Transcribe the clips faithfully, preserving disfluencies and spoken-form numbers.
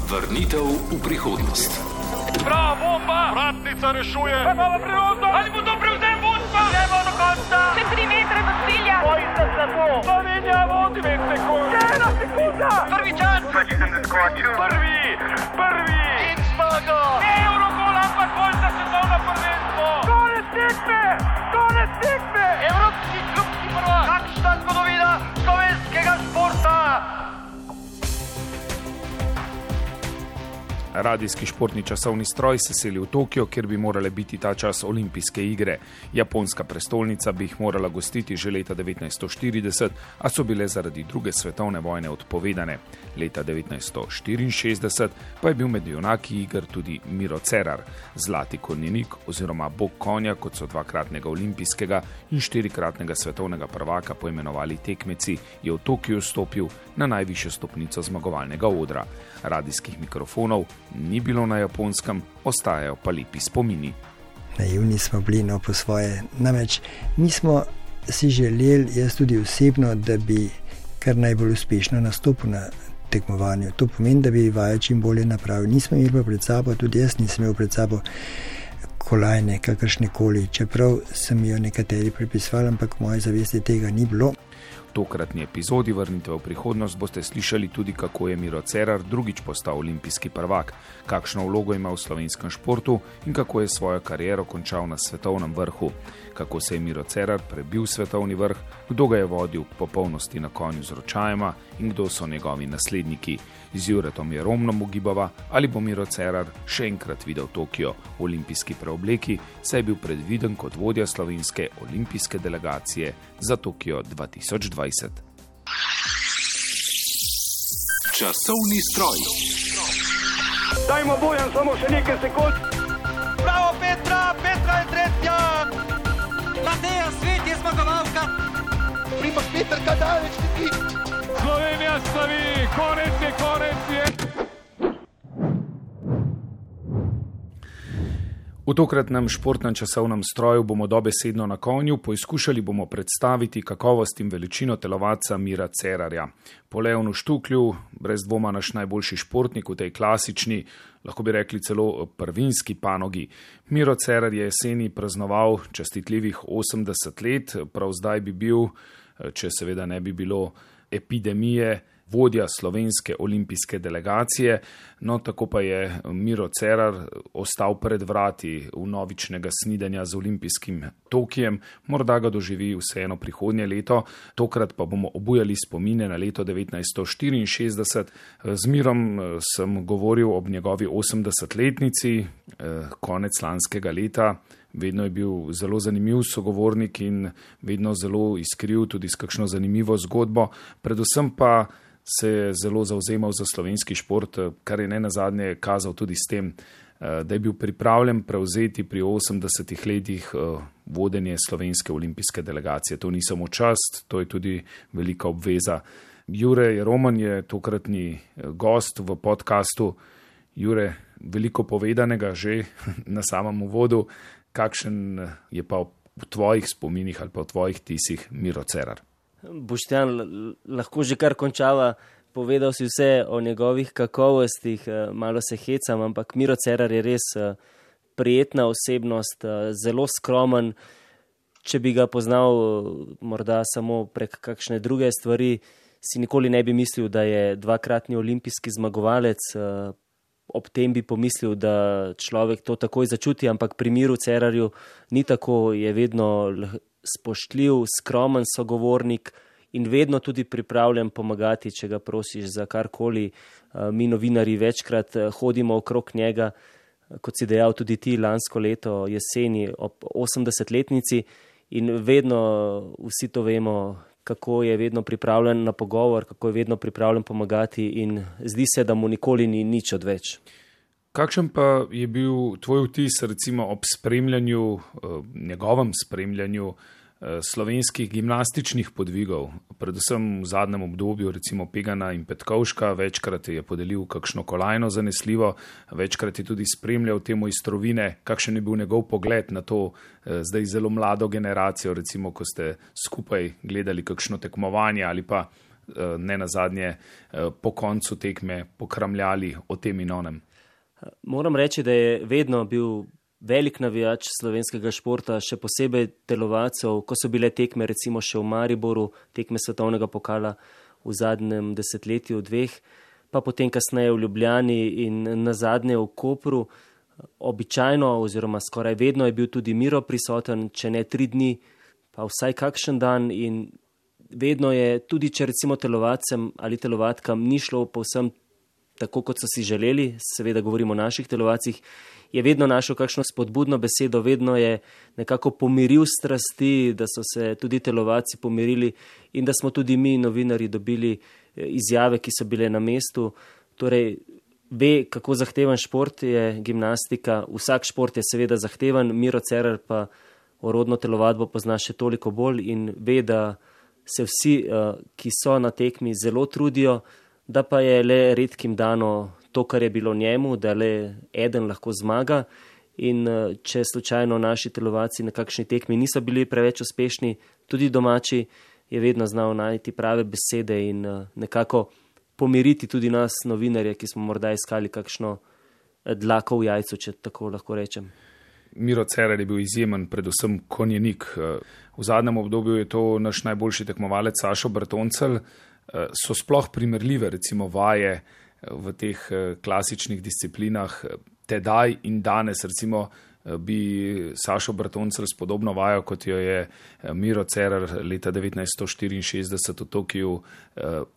Vrnitev v prihodnost. Bravo, bomba! Vratnica rešuje! Imamo priložnost! Ali bo to prevzem vodstva? Gremo do konca! Še tri metre do cilja! Bojite se to! Slovenija vodi dve sekunde! Ena sekunda! Prvi čas! Prvi! Prvi! In zmaga! Eurogol, ampak bolj za svetovno prvenstvo! Konec tekme! Konec tekme! Evropski klubski prvak! Kakšna zgodovina slovenskega športa! Radijski športni časovni stroj se seli v Tokio, kjer bi morale biti ta čas olimpijske igre. Japonska prestolnica bi jih morala gostiti že leta devetnajststo štirideset, a so bile zaradi druge svetovne vojne odpovedane. Leta devetnajststo štiriinšestdeset pa je bil med junaki iger tudi Miro Cerar. Zlati konjenik oziroma bog konja, kot so dvakratnega olimpijskega in štirikratnega svetovnega prvaka poimenovali tekmeci, je v Tokiju stopil na najvišjo stopnico zmagovalnega odra. Radijskih mikrofonov ni bilo na Japonskem, ostajajo pa lepi spomini. Naivni smo bili, no, po svoje. Namreč mi smo si želeli, jaz tudi osebno, da bi kar najbolj uspešno nastopil na tekmovanju. To pomeni, da bi vajo čim bolje napravili. Nismo imeli pa pred sabo, tudi jaz nisem imel pred sabo kolajne, kakršne koli, čeprav sem jo nekateri pripisvali, ampak v moje zavesti tega ni bilo. V tokratni epizodi Vrnitev v prihodnost boste slišali tudi, kako je Miro Cerar drugič postal olimpijski prvak, kakšno vlogo ima v slovenskem športu in kako je svojo kariero končal na svetovnem vrhu, kako se je Miro Cerar prebil svetovni vrh, kdo ga je vodil k popolnosti na konju z ročajema in kdo so njegovi nasledniki. Z Juretom Jeromnom ugibava, ali bo Miro Cerar še enkrat videl Tokio v olimpijski preobleki, saj je bil predviden kot vodja slovenske olimpijske delegacije za Tokio dva tisoč dvajset. Časovni stroj. Dajmo Bojan samo še nekaj sekund. Bravo Petra, Petra je tretja. Mateja Svet je zmagovalka. Primož Petrka daleč neki. Slovenija slavi, konec je, konec je. V tokratnem športnem časovnem stroju bomo dobesedno na konju, poizkušali bomo predstaviti kakovost in veličino telovadca Mira Cerarja. Po Leonu Štuklju, brez dvoma naš najboljši športnik v tej klasični, lahko bi rekli celo prvinski panogi. Miro Cerar je jeseni praznoval častitljivih osemdeset let, prav zdaj bi bil, če seveda ne bi bilo epidemije, vodja slovenske olimpijske delegacije, no tako pa je Miro Cerar ostal pred vrati vnovičnega snidenja z olimpijskim Tokijem, morda ga doživi vseeno prihodnje leto, tokrat pa bomo obujali spomine na leto devetnajststo štiriinšestdeset. Z Mirom sem govoril ob njegovi osemdesetletnici, konec lanskega leta. Vedno je bil zelo zanimiv sogovornik in vedno zelo iskriv tudi s kakšno zanimivo zgodbo, predvsem pa se je zelo zavzemal za slovenski šport, kar je ne nazadnje kazal tudi s tem, da je bil pripravljen prevzeti pri osemdesetih letih vodenje slovenske olimpijske delegacije. To ni samo čast, to je tudi velika obveza. Jure Jeroman je tokratni gost v podcastu. Jure, veliko povedanega že na samem uvodu. Kakšen je pa v tvojih spominih ali pa v tvojih tisih Miro Cerar? Boštjan, lahko že kar končava, povedal si vse o njegovih kakovostih, malo se hecam, ampak Miro Cerar je res prijetna osebnost, zelo skromen. Če bi ga poznal morda samo prek kakšne druge stvari, si nikoli ne bi mislil, da je dvakratni olimpijski zmagovalec. Ob tem bi pomislil, da človek to takoj začuti, ampak pri Miru Cerarju ni tako, je vedno spoštljiv, skromen sogovornik in vedno tudi pripravljen pomagati, če ga prosiš za karkoli. Mi novinarji večkrat hodimo okrog njega, kot si dejal tudi ti lansko leto jeseni ob osemdesetletnici in vedno vsi to vemo, kako je vedno pripravljen na pogovor, kako je vedno pripravljen pomagati in zdi se, da mu nikoli ni nič odveč. Kakšen pa je bil tvoj vtis recimo ob spremljanju, njegovem spremljanju slovenskih gimnastičnih podvigov, predvsem v zadnjem obdobju, recimo Pegana in Petkovška, večkrat je podelil kakšno kolajno zanesljivo, večkrat je tudi spremljal te mojstrovine, kakšen je bil njegov pogled na to zdaj zelo mlado generacijo, recimo ko ste skupaj gledali kakšno tekmovanje ali pa ne nazadnje po koncu tekme pokramljali o tem in onem. Moram reči, da je vedno bil velik navijač slovenskega športa, še posebej telovacov, ko so bile tekme recimo še v Mariboru, tekme svetovnega pokala v zadnjem desetletju, dveh, pa potem kasneje v Ljubljani in nazadnje v Kopru. Običajno oziroma skoraj vedno je bil tudi Miro prisoten, če ne tri dni, pa vsaj kakšen dan, in vedno je, tudi če recimo telovacem ali telovatkam ni šlo povsem tako, kot so si želeli, seveda govorimo o naših telovacih, je vedno našel kakšno spodbudno besedo, vedno je nekako pomiril strasti, da so se tudi telovaci pomirili in da smo tudi mi, novinarji, dobili izjave, ki so bile na mestu. Torej, ve, kako zahteven šport je gimnastika, vsak šport je seveda zahteven, Miro Cerar pa orodno telovadbo pozna še toliko bolj in ve, da se vsi, ki so na tekmi, zelo trudijo, da pa je le redkim dano to, kar je bilo njemu, da le eden lahko zmaga, in če slučajno naši telovaci na kakšni tekmi niso bili preveč uspešni, tudi domači, je vedno znal najti prave besede in nekako pomiriti tudi nas, novinarje, ki smo morda iskali kakšno dlako v jajcu, če tako lahko rečem. Miro Cerar je bil izjemen, predvsem konjenik. V zadnjem obdobju je to naš najboljši tekmovalec Sašo Bertoncelj. So sploh primerljive recimo vaje v teh klasičnih disciplinah tedaj in danes, recimo bi Sašo Bertoncelj s podobno vajo, kot jo je Miro Cerar leta devetnajststo štiriinšestdeset v Tokiu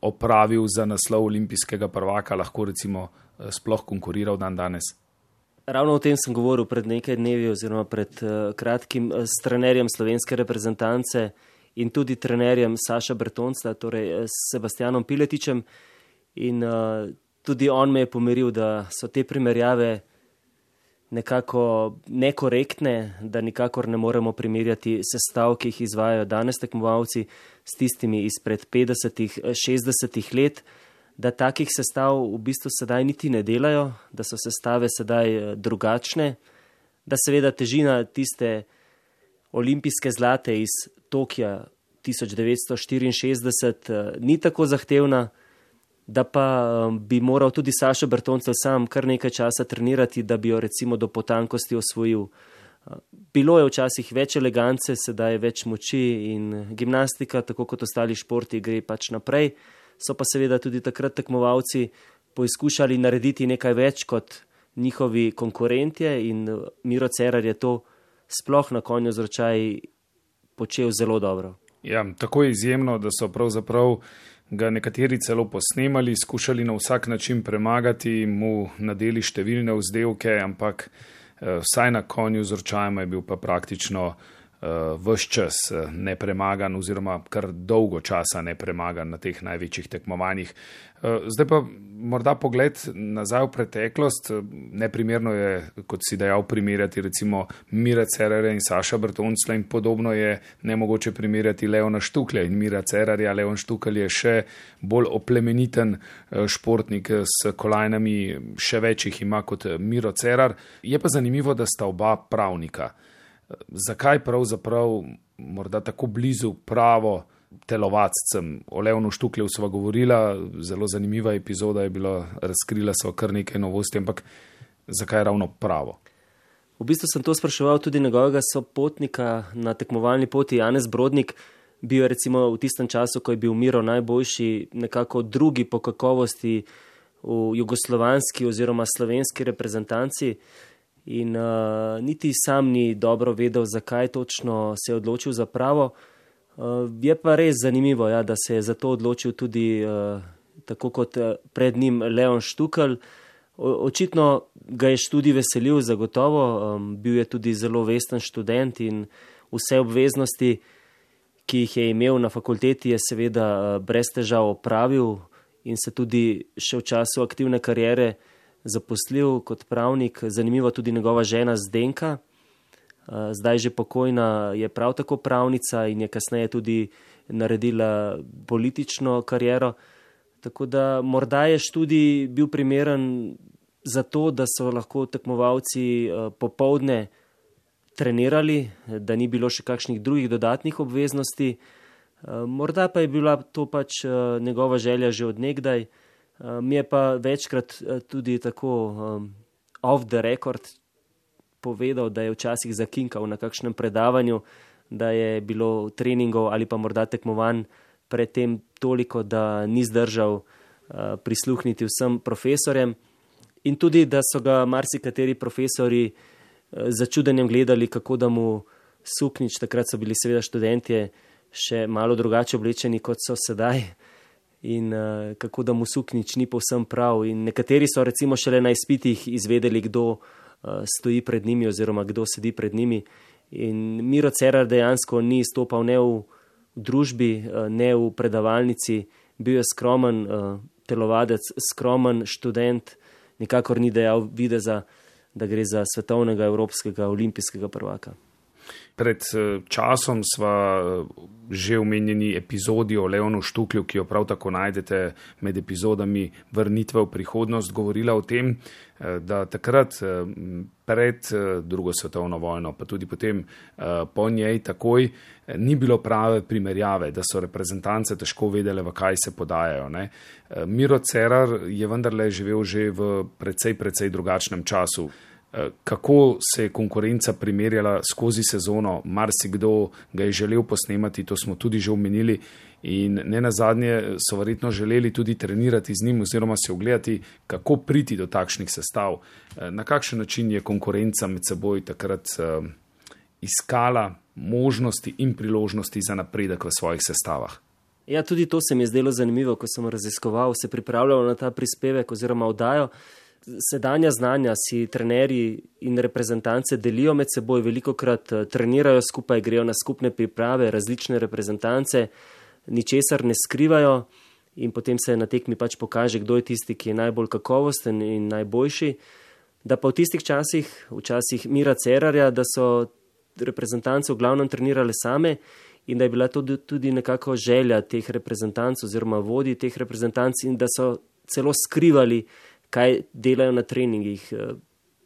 opravil za naslov olimpijskega prvaka, lahko recimo sploh konkuriral dan danes? Ravno o tem sem govoril pred nekaj dnevi oziroma pred kratkim s trenerjem slovenske reprezentance in tudi trenerjem Saša Bertoncla, torej s Sebastianom Piletičem, in uh, tudi on me je pomiril, da so te primerjave nekako nekorektne, da nikakor ne moremo primerjati sestav, ki jih izvajajo danes tekmovalci s tistimi izpred petdesetih, šestdesetih let, da takih sestav v bistvu sedaj niti ne delajo, da so sestave sedaj drugačne, da seveda težina tiste olimpijske zlate iz Tokija tisoč devetsto štiriinšestdeset ni tako zahtevna, da pa bi moral tudi Sašo Bertoncelj sam kar nekaj časa trenirati, da bi jo recimo do potankosti osvojil. Bilo je včasih več elegance, sedaj je več moči in gimnastika, tako kot ostali športi, gre pač naprej. So pa seveda tudi takrat tekmovalci poizkušali narediti nekaj več kot njihovi konkurentje in Miro Cerar je to sploh na konju z ročaji počel zelo dobro. Ja, tako je izjemno, da so pravzaprav ga nekateri celo posnemali, skušali na vsak način premagati, mu nadeli številne vzdevke, ampak eh, vsaj na konju z ročajima je bil pa praktično ves čas nepremagan oziroma kar dolgo časa nepremagan na teh največjih tekmovanjih. Zdaj pa morda pogled nazaj v preteklost. Neprimerno je, kot si dejal, primerjati recimo Mira Cerarja in Saša Bertoncla in podobno je nemogoče primerjati Leona Štuklja in Mira Cerarja. Leon Štukelj je še bolj oplemeniten športnik s kolajnami, še več jih ima kot Miro Cerar. Je pa zanimivo, da sta oba pravnika. Zakaj pravzaprav morda tako blizu pravo telovacem? O Leonu Štuklju sva govorila, zelo zanimiva epizoda je bila, razkrila sva kar nekaj novosti, ampak zakaj ravno pravo? V bistvu sem to spraševal tudi njegovega sopotnika na tekmovalni poti, Janez Brodnik. Bil je recimo v tistem času, ko je bil Miro najboljši, nekako drugi po kakovosti v jugoslovanski oziroma slovenski reprezentanci. In uh, niti sam ni dobro vedel, zakaj točno se je odločil za pravo. Uh, je pa res zanimivo, ja, da se je za to odločil tudi uh, tako kot pred njim Leon Štukelj. O, očitno ga je študij veselil zagotovo, um, bil je tudi zelo vesten študent in vse obveznosti, ki jih je imel na fakulteti, je seveda uh, brez težav opravil in se tudi še v času aktivne kariere zaposlil kot pravnik. Zanimivo tudi njegova žena Zdenka, zdaj že pokojna, je prav tako pravnica in je kasneje tudi naredila politično kariero. Tako da morda je študij bil primeren za to, da so lahko tekmovalci popoldne trenirali, da ni bilo še kakšnih drugih dodatnih obveznosti. Morda pa je bila to pač njegova želja že od nekdaj. Mi je pa večkrat tudi tako off the record povedal, da je včasih zakinkal na kakšnem predavanju, da je bilo treningov ali pa morda tekmovanj predtem toliko, da ni zdržal prisluhniti vsem profesorjem in tudi, da so ga marsikateri profesori za čudenjem gledali, kako da mu suknjič, takrat so bili seveda študentje še malo drugače oblečeni, kot so sedaj, in uh, kako da mu suknjič ni povsem prav. In nekateri so recimo šele na izpitih izvedeli, kdo uh, stoji pred njimi oziroma kdo sedi pred njimi. In Miro Cerar dejansko ni stopal ne v družbi, uh, ne v predavalnici, bil je skromen uh, telovadec, skromen študent, nikakor ni dejal videza, da gre za svetovnega, evropskega, olimpijskega prvaka. Pred časom sva že omenjeni epizodi o Leonu Štuklju, ki jo prav tako najdete med epizodami Vrnitve v prihodnost, govorila o tem, da takrat pred drugo svetovno vojno, pa tudi potem po njej takoj, ni bilo prave primerjave, da so reprezentance težko vedele, v kaj se podajajo. Ne? Miro Cerar je vendarle živel že v precej, precej drugačnem času. Kako se je konkurenca primerjala skozi sezono, marsikdo ga je želel posnemati, to smo tudi že omenili, in ne nazadnje so verjetno želeli tudi trenirati z njim oziroma se ogledati, kako priti do takšnih sestav. Na kakšen način je konkurenca med seboj takrat iskala možnosti in priložnosti za napredek v svojih sestavah? Ja, tudi to se mi je zdelo zanimivo, ko sem raziskoval, se pripravljal na ta prispevek oziroma oddajo. Sedanja znanja si trenerji in reprezentance delijo med seboj, velikokrat trenirajo skupaj, grejo na skupne priprave, različne reprezentance, ničesar ne skrivajo in potem se na tekmi pač pokaže, kdo je tisti, ki je najbolj kakovosten in najboljši. Da pa v tistih časih, včasih Mira Cerarja, da so reprezentance v glavnem trenirale same in da je bila to tudi nekako želja teh reprezentanc oziroma vodij teh reprezentanc in da so celo skrivali, kaj delajo na treningih.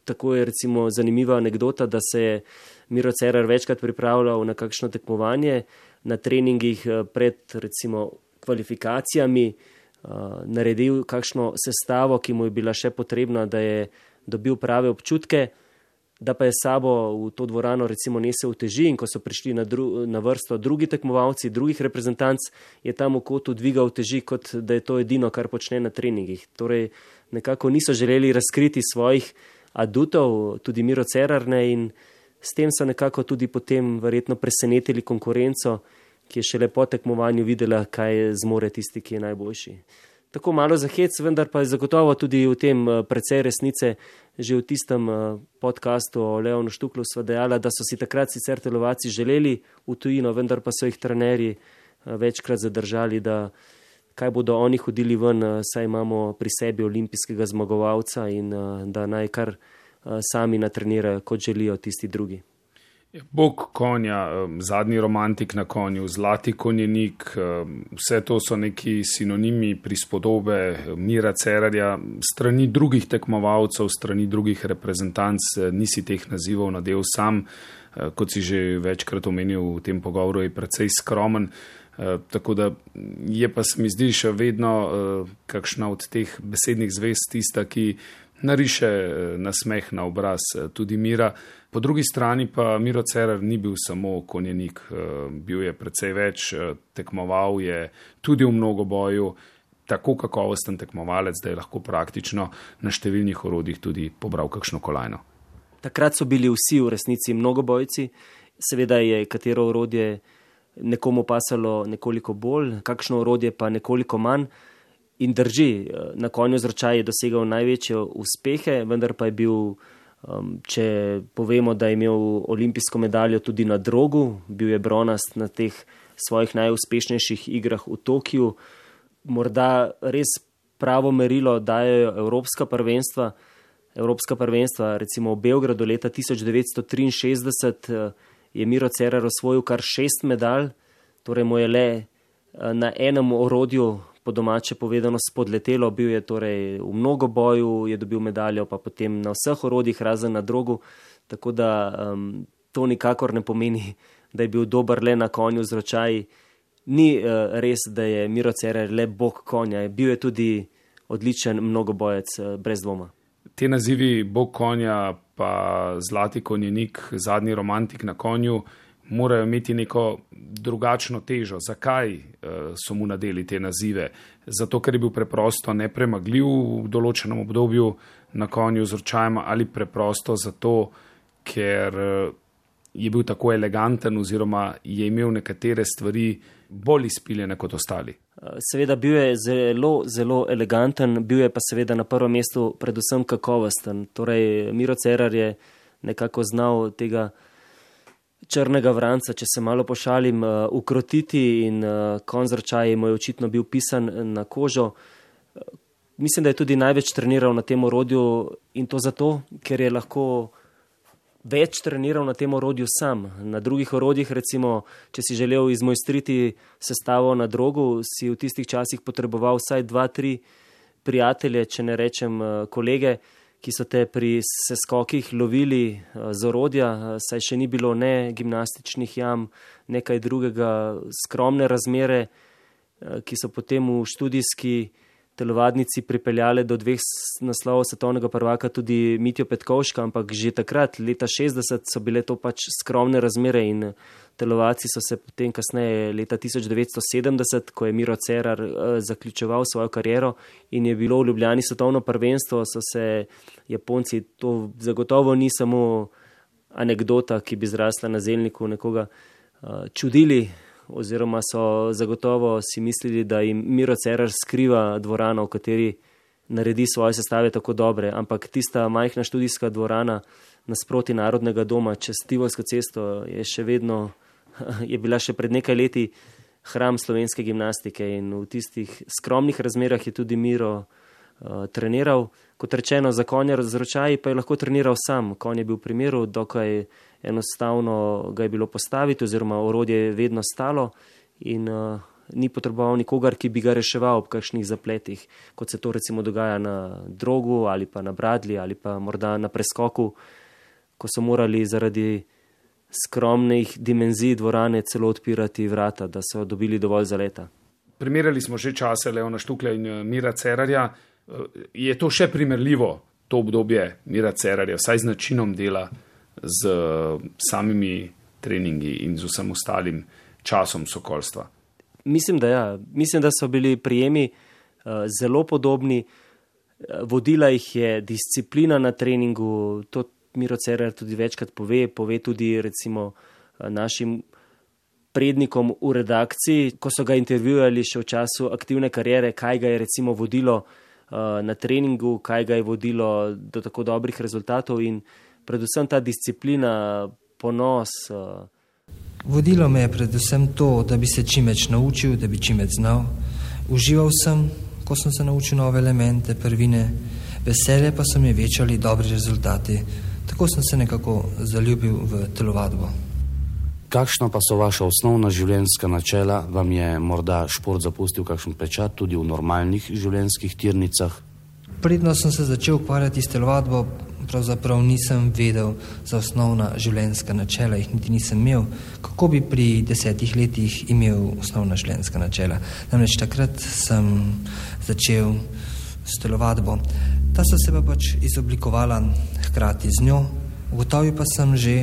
Tako je recimo zanimiva anekdota, da se je Miro Cerar večkrat pripravljal na kakšno tekmovanje, na treningih pred recimo kvalifikacijami, naredil kakšno sestavo, ki mu je bila še potrebna, da je dobil prave občutke, da pa je sabo v to dvorano recimo nesel uteži in ko so prišli na, dru, na vrsto drugi tekmovalci, drugih reprezentanc, je tam v kotu dvigal uteži, kot da je to edino, kar počne na treningih. Torej, nekako niso želeli razkriti svojih adutov, tudi Miro Cerar ne, in s tem so nekako tudi potem verjetno presenetili konkurenco, ki je šele po tekmovanju videla, kaj zmore tisti, ki je najboljši. Tako malo za hec, vendar pa je zagotovo tudi v tem precej resnice. Že v tistem podcastu o Leonu Štuklju sva dejala, da so si takrat sicer telovadci želeli v tujino, vendar pa so jih trenerji večkrat zadržali, da kaj bodo oni hodili ven, saj imamo pri sebi olimpijskega zmagovalca in da naj kar sami natrenirajo, kot želijo tisti drugi. Bog konja, zadnji romantik na konju, zlati konjenik, vse to so neki sinonimi prispodobe Mira Cerarja, strani drugih tekmovalcev, strani drugih reprezentanc, nisi teh nazivov nadel sam, kot si že večkrat omenil v tem pogovoru, je precej skromen, tako da je pa se mi zdi še vedno kakšna od teh besednih zvez tista, ki nariše nasmeh na obraz tudi Mira. Po drugi strani pa Miro Cerar ni bil samo konjenik, bil je precej več, tekmoval je tudi v mnogoboju, tako kakovosten tekmovalec, da je lahko praktično na številnih orodjih tudi pobral kakšno kolajno. Takrat so bili vsi v resnici mnogobojci, seveda je katero orodje nekomu pasalo nekoliko bolj, kakšno orodje pa nekoliko manj. In drži, na konju z ročaj je dosegal največje uspehe, vendar pa je bil, če povemo, da je imel olimpijsko medaljo tudi na drogu, bil je bronast na teh svojih najuspešnejših igrah v Tokiu. Morda res pravo merilo dajo evropska prvenstva. Evropska prvenstva, recimo v Beogradu leta tisoč devetsto triinšestdeset je Miro Cerar osvojil kar šest medalj, torej mu je le na enem orodju po domače povedano spodletelo, bil je torej v mnogoboju, je dobil medaljo, pa potem na vseh orodjih razen na drogu, tako da um, to nikakor ne pomeni, da je bil dober le na konju z ročaji. ni uh, res, da je Miro Cerar le bog konja, bil je tudi odličen mnogobojec, uh, brez dvoma. Te nazivi bog konja pa zlati konjenik, zadnji romantik na konju, morajo imeti neko drugačno težo. Zakaj uh, so mu nadeli te nazive? Zato, ker je bil preprosto nepremagljiv v določenem obdobju na konju z ročajema, ali preprosto zato, ker uh, je bil tako eleganten oziroma je imel nekatere stvari bolj izpiljene kot ostali. Seveda bil je zelo, zelo eleganten, bil je pa seveda na prvem mestu predvsem kakovosten. Torej, Miro Cerar je nekako znal tega črnega vranca, če se malo pošalim, ukrotiti in konj z ročaji mu je očitno bil pisan na kožo. Mislim, da je tudi največ treniral na tem orodju in to zato, ker je lahko več treniral na tem orodju sam. Na drugih orodjih, recimo, če si želel izmojstriti sestavo na drogu, si v tistih časih potreboval vsaj dva, tri prijatelje, če ne rečem kolege, ki so te pri seskokih lovili z orodja, saj še ni bilo ne gimnastičnih jam, nekaj drugega, skromne razmere, ki so potem v študijski telovadnici pripeljale do dveh naslovov svetovnega prvaka tudi Mitjo Petkovška, ampak že takrat, leta šestdeset, so bile to pač skromne razmere in telovadci so se potem kasneje, leta tisoč devetsto sedemdeset, ko je Miro Cerar zaključeval svojo kariero in je bilo v Ljubljani svetovno prvenstvo, so se Japonci, to zagotovo ni samo anekdota, ki bi zrasla na zelniku, nekoga čudili, oziroma so zagotovo si mislili, da jim Miro Cerar skriva dvorano, v kateri naredi svoje sestave tako dobre, ampak tista majhna študijska dvorana nasproti Narodnega doma čez Tivolsko cesto je še vedno, je bila še pred nekaj leti hram slovenske gimnastike in v tistih skromnih razmerah je tudi Miro uh, treniral. Kot rečeno, za konja z ročaji pa je lahko treniral sam. Konj je bil v primeru, dokaj enostavno ga je bilo postaviti oziroma orodje je vedno stalo in uh, ni potreboval nikogar, ki bi ga reševal ob kakšnih zapletih, kot se to recimo dogaja na drogu ali pa na bradlji ali pa morda na preskoku, ko so morali zaradi skromnih dimenzij dvorane celo odpirati vrata, da so dobili dovolj zaleta. Primerjali smo že čase Leona Štuklja in Mira Cerarja. Je to še primerljivo, to obdobje Mira Cerarja, vsaj z načinom dela, z samimi treningi in z vsem ostalim časom sokolstva? Mislim, da ja. Mislim, da so bili prijemi uh, zelo podobni. Vodila jih je disciplina na treningu, to Miro Cerar tudi večkrat pove, pove tudi recimo našim prednikom v redakciji, ko so ga intervjuvali še v času aktivne kariere, kaj ga je recimo vodilo uh, na treningu, kaj ga je vodilo do tako dobrih rezultatov in predvsem ta disciplina, ponos. Uh. Vodilo me je predvsem to, da bi se čim več naučil, da bi čim več znal. Užival sem, ko sem se naučil nove elemente, prvine, veselje pa so mi večali dobri rezultati. Tako sem se nekako zaljubil v telovadbo. Kakšna pa so vaša osnovna življenjska načela? Vam je morda šport zapustil kakšen pečat tudi v normalnih življenjskih tirnicah? Predno sem se začel ukvarjati s telovadbo, pravzaprav nisem vedel za osnovna življenjska načela, jih niti nisem imel. Kako bi pri desetih letih imel osnovna življenjska načela? Namreč takrat sem začel s telovadbo. Ta so se pa pač izoblikovala hkrati z njo. Ugotovil pa sem že,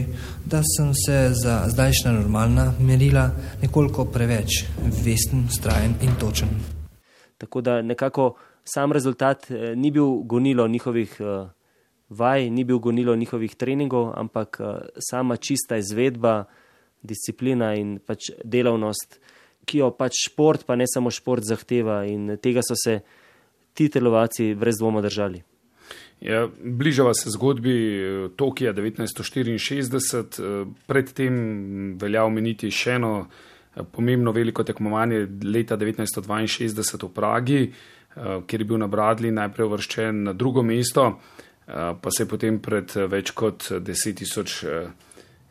da sem se za zdajšnja normalna merila nekoliko preveč vesten, vztrajen in točen. Tako da nekako sam rezultat eh, ni bil gonilo njihovih eh, vaj, ni bil gonilo njihovih treningov, ampak eh, sama čista izvedba, disciplina in pač delavnost, ki jo pač šport, pa ne samo šport zahteva in tega so se ti telovadci brez dvoma držali. Ja, bližava se zgodbi Tokija devetnajststo štiriinšestdeset, predtem velja omeniti še eno pomembno veliko tekmovanje leta devetnajststo dvainšestdeset v Pragi, kjer je bil na bradlji najprej uvrščen na drugo mesto, pa se je potem pred več kot deset tisoč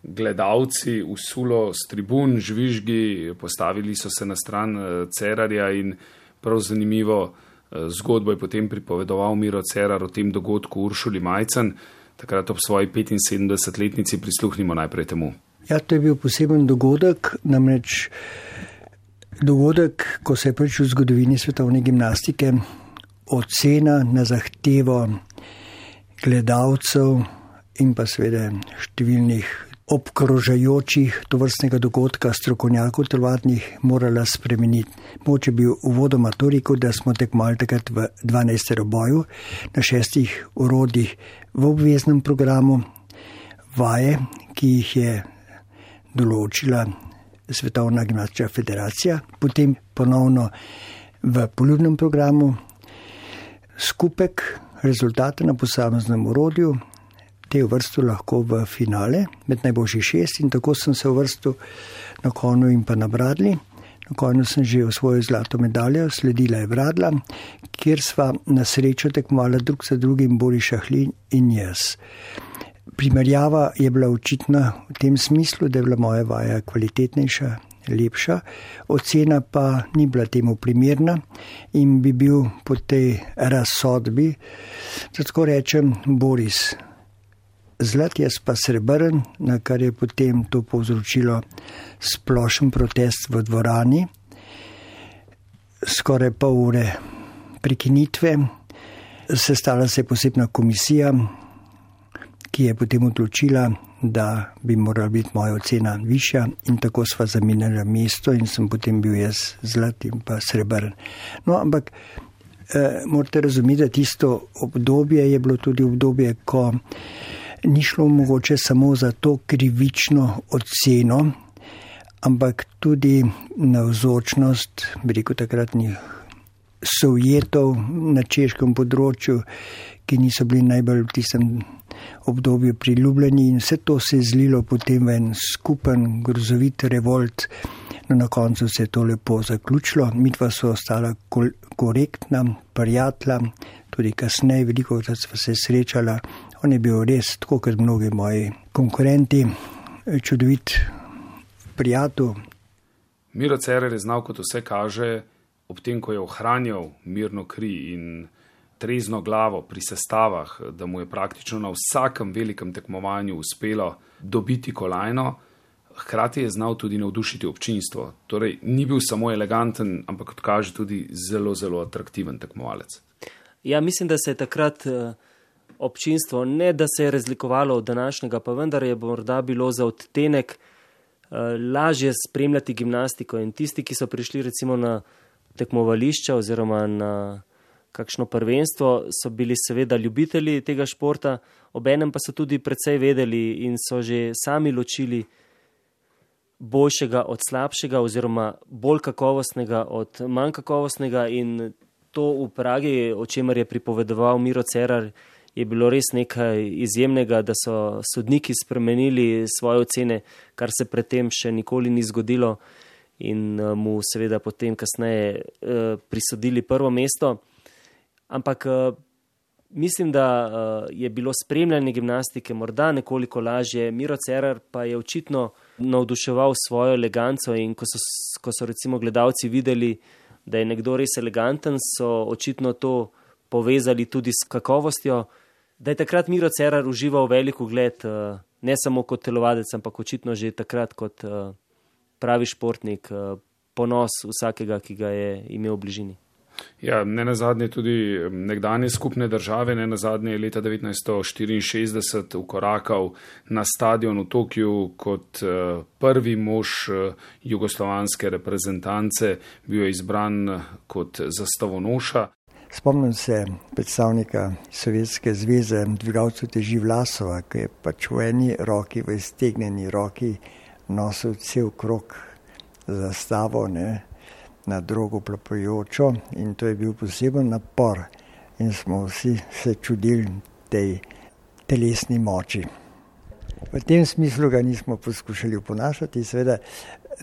gledalci usulo s tribun, žvižgi, postavili so se na stran Cerarja in prav zanimivo zgodbo je potem pripovedoval Miro Cerar o tem dogodku Uršuli Majcen, takrat ob svoji petinsedemdesetletnici. Prisluhnimo najprej temu. Ja, to je bil poseben dogodek, namreč dogodek, ko se je prvič v zgodovini svetovne gimnastike ocena na zahtevo gledalcev in pa seveda številnih obkrožajočih tovrstnega dogodka strokovnjakov telovadnih morala spremeniti. Mogoče bi uvodoma to rekel, da smo tekmovali takrat v dvanajsteroboju na šestih orodjih v obveznem programu, vaje, ki jih je določila Svetovna gimnastična federacija, potem ponovno v poljubnem programu skupek rezultata na posameznem orodju, te uvrstil lahko v finale med najboljših šest in tako sem se uvrstil na konju in pa na bradlji. Na konju sem že osvojil zlato medaljo, sledila je bradla, kjer sva na srečo tekmovala drug za drugim Boris Šahlin in jaz. Primerjava je bila očitna v tem smislu, da je bila moja vaja kvalitetnejša, lepša, ocena pa ni bila temu primerna in bi bil po tej razsodbi, tako rečem, Boris zlat, jaz pa srebrn, na kar je potem to povzročilo splošen protest v dvorani. Skoraj pol ure prekinitve, sestala se je posebna komisija, ki je potem odločila, da bi morala biti moja ocena višja in tako sva zamenjala mesto in sem potem bil jaz zlat in pa srebrn. No, ampak eh, morate razumeti, da tisto obdobje je bilo tudi obdobje, ko ni šlo mogoče samo za to krivično oceno, ampak tudi navzočnost, bi rekel, takratnih Sovjetov na češkem področju, ki niso bili najbolj v tistem obdobju priljubljeni in vse to se je zlilo potem v en skupen grozovit revolt. No, na koncu se je to lepo zaključilo, midva so ostala korektna, prijatelja, tudi kasneje veliko krat sva se srečala. On je bil res, tako kot mnogi moji konkurenti, čudovit prijatelj. Miro Cerar je znal, kot vse kaže, ob tem, ko je ohranjal mirno kri in trezno glavo pri sestavah, da mu je praktično na vsakem velikem tekmovanju uspelo dobiti kolajno, hkrati je znal tudi navdušiti občinstvo. Torej, ni bil samo eleganten, ampak kot kaže tudi zelo, zelo atraktiven tekmovalec. Ja, mislim, da se je takrat občinstvo, ne da se je razlikovalo od današnjega, pa vendar je morda bilo za odtenek lažje spremljati gimnastiko in tisti, ki so prišli recimo na tekmovališča oziroma na kakšno prvenstvo, so bili seveda ljubitelji tega športa, obenem pa so tudi precej vedeli in so že sami ločili boljšega od slabšega oziroma bolj kakovostnega od manj kakovostnega in to v Pragi, o čemer je pripovedoval Miro Cerar, je bilo res nekaj izjemnega, da so sodniki spremenili svoje ocene, kar se predtem še nikoli ni zgodilo in mu seveda potem kasneje eh, prisodili prvo mesto. Ampak eh, mislim, da eh, je bilo spremljanje gimnastike morda nekoliko lažje. Miro Cerar pa je očitno navduševal svojo eleganco in ko so, ko so recimo gledalci videli, da je nekdo res eleganten, so očitno to povezali tudi s kakovostjo, da je takrat Miro Cerar užival velik ugled, ne samo kot telovadec, ampak očitno že takrat kot pravi športnik, ponos vsakega, ki ga je imel v bližini. Ja, ne nazadnje tudi nekdanje skupne države, ne nazadnje je leta devetnajststo štiriinšestdeset ukorakal na stadion v Tokiu kot prvi mož jugoslovanske reprezentance, bil je izbran kot zastavonoša. Spomnim se predstavnika Sovjetske zveze, dvigalcev teži Vlasova, ki je pač v eni roki, v iztegnjeni roki nosil cel krog zastavo, ne, na drogo plapajočo in to je bil poseben napor in smo vsi se čudili tej telesni moči. V tem smislu ga nismo poskušali oponašati, seveda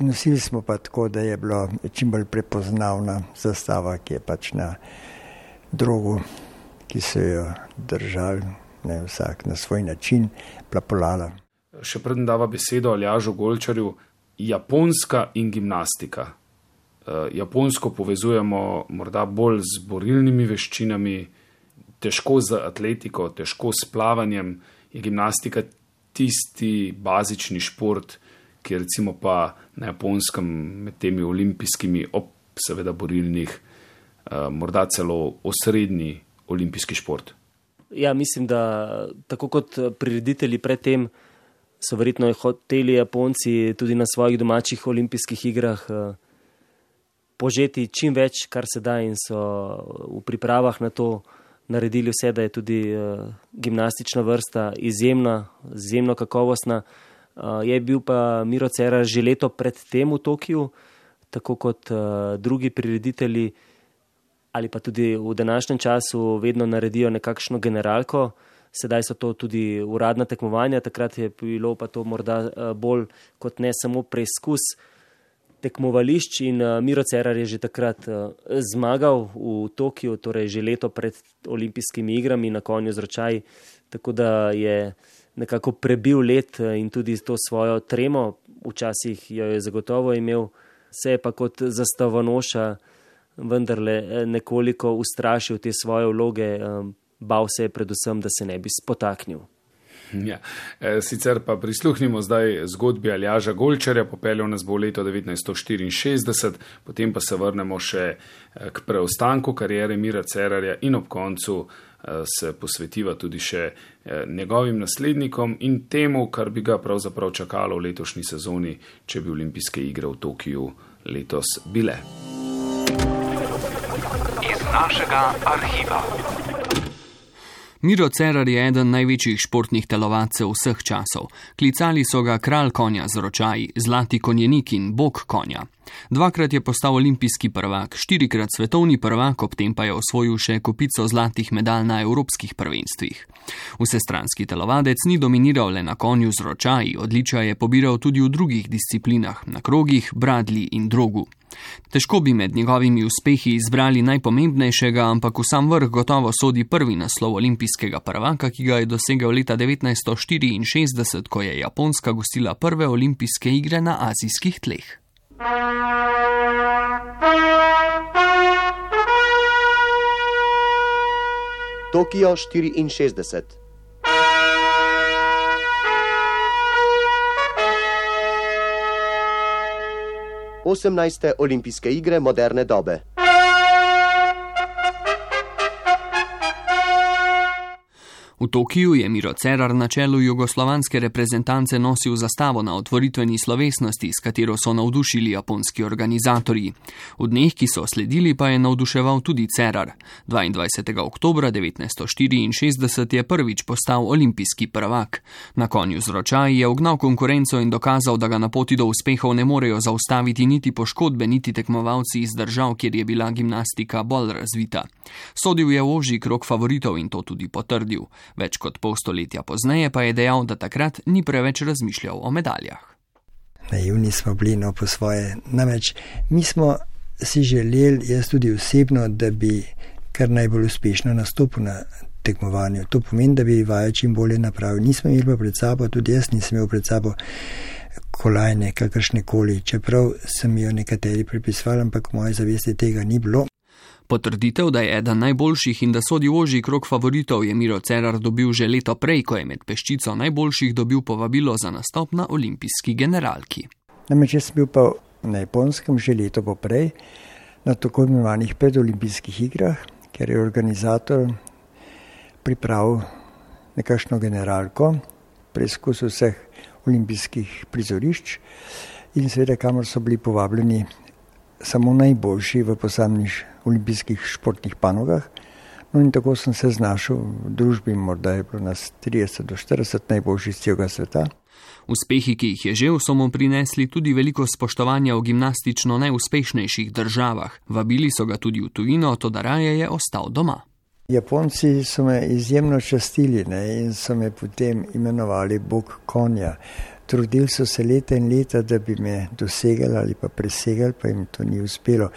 nosili smo pa tako, da je bilo čim bolj prepoznavna zastava, ki je pač na drogu, ki se jo držali, ne, vsak na svoj način plapolala. Še preden dava besedo Aljažu Golčarju, Japonska in gimnastika. Japonsko povezujemo morda bolj z borilnimi veščinami, težko z atletiko, težko s plavanjem. Je gimnastika tisti bazični šport, ki je recimo pa na Japonskem med temi olimpijskimi, ob seveda borilnih, morda celo osrednji olimpijski šport? Ja, mislim, da tako kot prireditelji predtem so verjetno hoteli Japonci tudi na svojih domačih olimpijskih igrah požeti čim več, kar se da, in so v pripravah na to naredili vse, da je tudi gimnastična vrsta izjemna, izjemno kakovostna. Je bil pa Miro Cerar že leto pred tem v Tokiu, tako kot drugi prireditelji, ali pa tudi v današnjem času vedno naredijo nekakšno generalko. Sedaj so to tudi uradna tekmovanja, takrat je bilo pa to morda bolj kot ne samo preizkus tekmovališč, in Miro Cerar je že takrat zmagal v Tokiu, torej že leto pred olimpijskimi igrami na konju z ročaji, tako da je nekako prebil let in tudi to svojo tremo, včasih jo je zagotovo imel, se je pa kot zastavonoša vendarle nekoliko ustrašil te svoje vloge, bal se je predvsem, da se ne bi spotaknil. Ja. Sicer pa prisluhnimo zdaj zgodbi Aljaža Golčarja, popeljal nas bo v leto devetnajststo štiriinšestdeset, potem pa se vrnemo še k preostanku karijere Mira Cerarja in ob koncu se posvetiva tudi še njegovim naslednikom in temu, kar bi ga pravzaprav čakalo v letošnji sezoni, če bi olimpijske igre v Tokiju letos bile. Iz našega arhiva. Miro Cerar je eden največjih športnih telovadcev vseh časov. Klicali so ga kralj konja z ročaji, zlati konjenik in bog konja. Dvakrat je postal olimpijski prvak, štirikrat svetovni prvak, ob tem pa je osvojil še kopico zlatih medalj na evropskih prvenstvih. Vsestranski telovadec ni dominiral le na konju z ročaji, odličja je pobiral tudi v drugih disciplinah, na krogih, bradlji in drogu. Težko bi med njegovimi uspehi izbrali najpomembnejšega, ampak v sam vrh gotovo sodi prvi naslov olimpijskega prvaka, ki ga je dosegel leta devetnajststo štiriinšestdeset, ko je Japonska gostila prve olimpijske igre na azijskih tleh. Tokio štiriinšestdeset. osemnajste olimpijske igre moderne dobe. V Tokiju je Miro Cerar na čelu jugoslovanske reprezentance nosil zastavo na otvoritveni slovesnosti, s katero so navdušili japonski organizatorji. V dneh, ki so sledili, pa je navduševal tudi Cerar. dvaindvajsetega oktobra devetnajststo štiriinšestdeset je prvič postal olimpijski prvak. Na konju z ročaji je ugnal konkurenco in dokazal, da ga na poti do uspehov ne morejo zaustaviti niti poškodbe, niti tekmovalci iz držav, kjer je bila gimnastika bolj razvita. Sodil je v ožji krog favoritov in to tudi potrdil. Več kot pol stoletja pozneje pa je dejal, da takrat ni preveč razmišljal o medaljah. Naivni smo bili, no, po svoje. Namreč mi smo si želeli, jaz tudi osebno, da bi kar najbolj uspešno nastopil na tekmovanju. To pomeni, da bi vajo čim bolje napravil. Nismo imeli pa pred sabo, tudi jaz nisem imel pred sabo kolajne, kakršne koli, čeprav sem jo nekateri pripisvali, ampak v moji zavesti tega ni bilo. Potrditev, da je eden najboljših in da sodi v ožji krog favoritov, je Miro Cerar dobil že leto prej, ko je med peščico najboljših dobil povabilo za nastop na olimpijski generalki. Namreč jaz sem bil pa na Japonskem že leto poprej, na tako imenovanih predolimpijskih igrah, ker je organizator pripravil nekakšno generalko, preizkus vseh olimpijskih prizorišč in seveda kamor so bili povabljeni samo najboljši v posameznih olimpijskih športnih panogah. No in tako sem se znašel v družbi, morda je bilo nas trideset do štirideset najboljših z celega sveta. Uspehi, ki jih je žel, so mu prinesli tudi veliko spoštovanja v gimnastično najuspešnejših državah. Vabili so ga tudi v tujino, toda raje je ostal doma. Japonci so me izjemno častili, ne, in so me potem imenovali bog konja. Trudili so se leta in leta, da bi me dosegali ali pa presegali, pa jim to ni uspelo.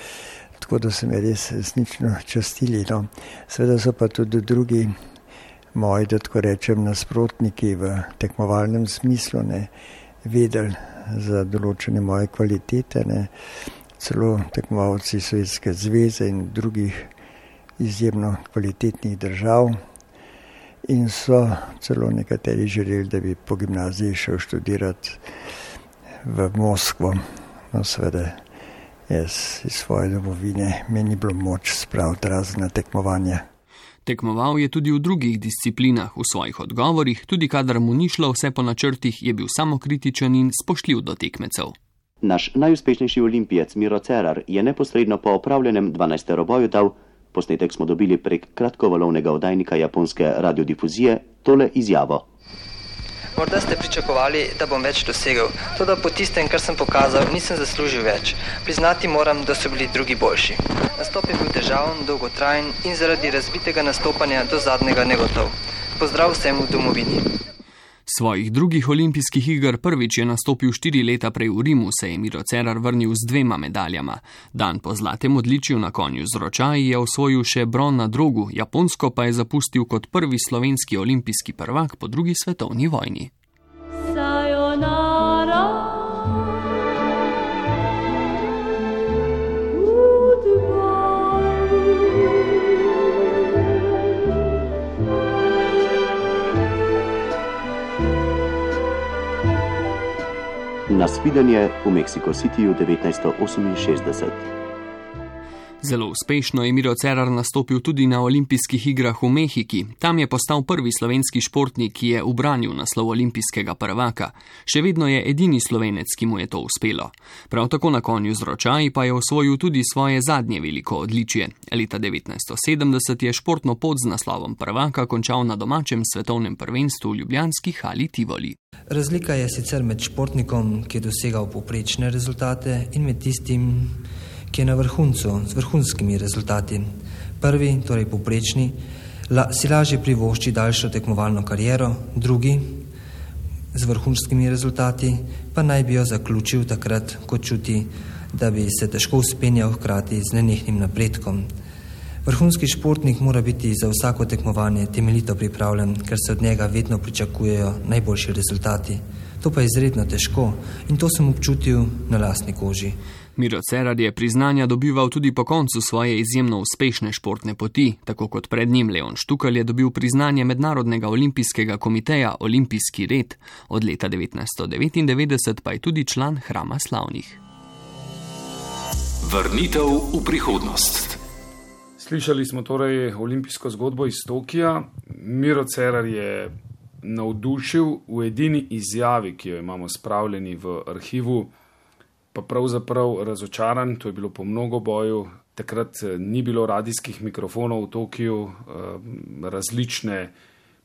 Tako da so me res resnično častili. No. Seveda so pa tudi drugi moji, da tako rečem, nasprotniki v tekmovalnem smislu, ne, vedeli za določene moje kvalitete, ne. Celo tekmovalci Sovjetske zveze in drugih izjemno kvalitetnih držav. In so celo nekateri želeli, da bi po gimnaziji šel študirati v Moskvo. No, seveda, jaz iz svoje domovine mi ni bilo moč spraviti razne tekmovanja. Tekmoval je tudi v drugih disciplinah, v svojih odgovorih, tudi kadar mu ni šlo vse po načrtih, je bil samokritičen in spoštljiv do tekmecev. Naš najuspešnejši olimpijec Miro Cerar je neposredno po opravljenem dvanajsteroboju dal, posnetek smo dobili prek kratkovalovnega oddajnika japonske radiodifuzije, tole izjavo. Morda ste pričakovali, da bom več dosegel, toda po tistem, kar sem pokazal, nisem zaslužil več. Priznati moram, da so bili drugi boljši. Nastop je bil težaven, dolgotrajen in zaradi razbitega nastopanja do zadnjega negotov. Pozdrav vsem v domovini. Svojih drugih olimpijskih iger prvič je nastopil štiri leta prej v Rimu, se je Miro Cerar vrnil z dvema medaljama. Dan po zlatem odličju na konju z ročaji je osvojil še bron na drogu, Japonsko pa je zapustil kot prvi slovenski olimpijski prvak po drugi svetovni vojni. Sayonara. Nasvidenje v Mexico Cityju devetnajststo oseminšestdeset. Zelo uspešno je Miro Cerar nastopil tudi na olimpijskih igrah v Mehiki. Tam je postal prvi slovenski športnik, ki je ubranil naslov olimpijskega prvaka. Še vedno je edini Slovenec, ki mu je to uspelo. Prav tako na konju z ročaji pa je osvojil tudi svoje zadnje veliko odličje. Leta devetnajststo sedemdeset je športno pot z naslovom prvaka končal na domačem svetovnem prvenstvu v ljubljanski hali Tivoli. Razlika je sicer med športnikom, ki je dosegal povprečne rezultate, in med tistim, ki je na vrhuncu z vrhunskimi rezultati. Prvi, torej povprečni, la, si lažje privošči daljšo tekmovalno kariero, drugi z vrhunskimi rezultati pa naj bi jo zaključil takrat, ko čuti, da bi se težko vzpenjal hkrati z nenehnim napredkom. Vrhunski športnik mora biti za vsako tekmovanje temeljito pripravljen, ker se od njega vedno pričakujejo najboljši rezultati. To pa je izredno težko in to sem občutil na lastni koži. Miro Cerar je priznanja dobival tudi po koncu svoje izjemno uspešne športne poti, tako kot pred njim Leon Štukelj je dobil priznanje Mednarodnega olimpijskega komiteja Olimpijski red, od leta devetnajststo devetindevetdeset pa je tudi član Hrama slavnih. Vrnitev v prihodnost. Slišali smo torej olimpijsko zgodbo iz Tokija. Miro Cerar je navdušil v edini izjavi, ki jo imamo spravljeni v arhivu, pa pravzaprav razočaran. To je bilo po mnogoboju. Takrat ni bilo radijskih mikrofonov v Tokiju, različne